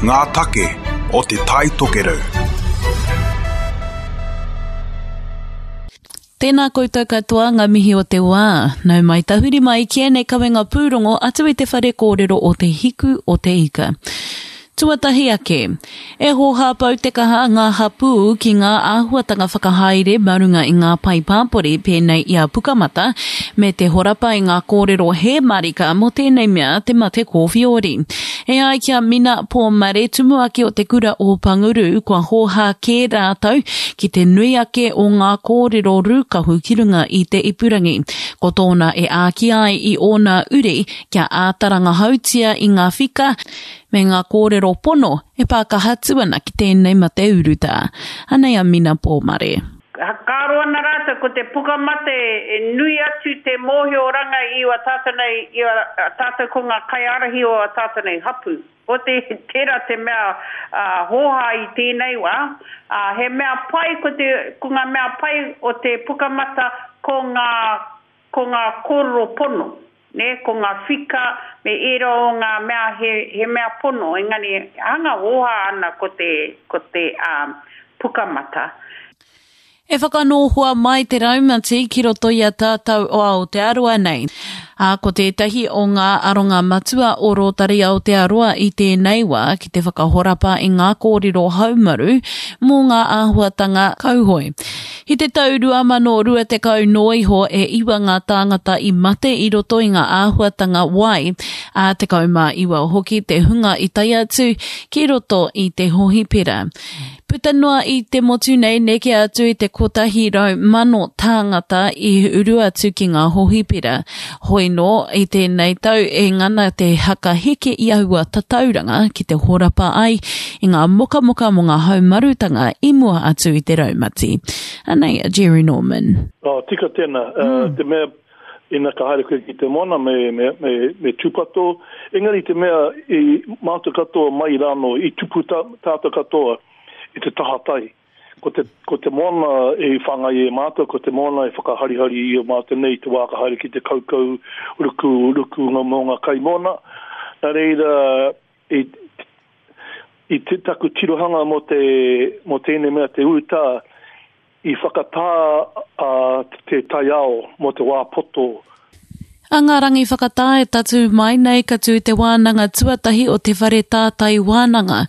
Ngā take o Te Tai Tokerau. Tēnā koutou katoa ngā mihi o te wā. Nau mai tahuri mai ki ēnei kawenga pūrongo atu i te whare kōrero o Te Hiku o Te Ika. Tuatahi ake, e hōhā pau te kaha ngā hapū ki ngā āhuatanga whakahaere mā runga i ngā pae pāpori pēnei i a Pukamata, me te horapa i ngā kōrero hē marika mō tēnei mea te mate kōwhiori. E ai ki a Mina Pōmare, tumuaki o te kura o Panguru, kua hōhā kē rātou ki te nui ake o ngā kōrero rūkahu ki runga i te ipurangi. Ko tōna e āki ai i ōna uri kia āta rangahautia i ngā whika, me ngā kōrero pono e pā kaha atu ana ki tēnei mate urutā. Anei a Mina Pōmare. Whakaaro ana rātou ko te pukamate e nui atu te mōhioranga i a tātou nei, i a tātou ko ngā kaiārahi o a tātou nei hapū. Ko te, tērā te mea hōhā i tēnei wā, ā, he mea pai ko te, ko ngā mea pai o te pukamata ko ngā, ko ngā kōrero pono. Nē, ko ngā whika me ērā o ngā mea he, he mea pono, engari hanga hōhā ana ko te, ko te, ā, pukamata. E whakanōhua mai te raumati ki roto i a tātou o Aotearoa nei. Ā, ko tētahi o ngā aronga matua o Rotary Aotearoa i tēnei wā ki te whakahorapa i ngā kōrero haumaru mō ngā āhuatanga kauhoe. I te tau 2020 noa iho e iwa ngā tāngata i mate i roto i ngā āhuatanga wai, ā, 19 hoki te hunga i tae atu ki roto i te hohipera. Puta noa i te motu nei neke atu i te 100,000 tāngata i uru atu ki ngā hohipera. Hoi nō, i tēnei tau e ngana te hakaheke i aua tatauranga ki te horapa ai i ngā mokamoka mō ngā haumarutanga i mua atu i te raumati. Anei a Jerry Norman. Oh, tika tēnā. Mm. Te mea, ina ka haere koe ki te moana me, me, me, me tūpato, engari te mea i mātou katoa mai rānō, i tupu tā, tātou katoa i te taha tai. Ko te, ko te moana e whāngai e mātou, ko te moana e whakaharihari i o mātou nei i te wā ka haere ki te kaukau ruku, ruku ngā mō ngā kai moana. Nā reira, i, i te, taku tirohanga mō te, mō tēnei mea te urutā, i whakatā a te taiao mō te wā poto. A ngā rangi whakatā e tatū mai nei ka tū te wānanga tuatahi o Te Whare Tātai Wānanga.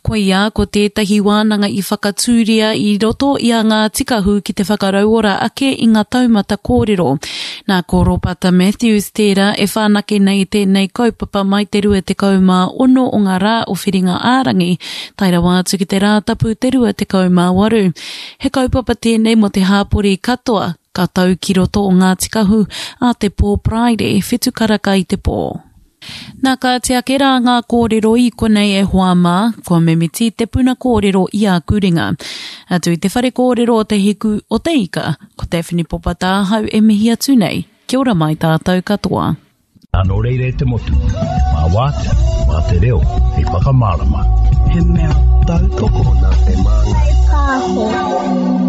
Koia ko tētahi wānanga i whakatūria i roto i a Ngāti Kahu ki te whakarauora ake i ngā taumata kōrero. Nā ko Ropata Matthews tērā e whanake nei tēnei kaupapa mai te 26 o ngā rā o Whiringa-ā-rangi tae rawa atu ki te Rātapu te 28. He kaupapa tēnei mō te hāpori katoa, Ka tau ki roto o Ngāti Kahu ā te pō Paraire, whitu karaka i te pō. Nā kāti ake rā ngā kōrero i konei e hoa mā, kua mimiti te puna kōrero i āku ringa. Atu i te whare kōrero o Te Hiku o Te Ika, ko Daphne Popa tāhau e mihi atu nei, kia ora mai tātou katoa. Nō reira e te motu, mā Wātea, mā te reo hei whakamārama. He mea tautoko nā te Māngai Pāho.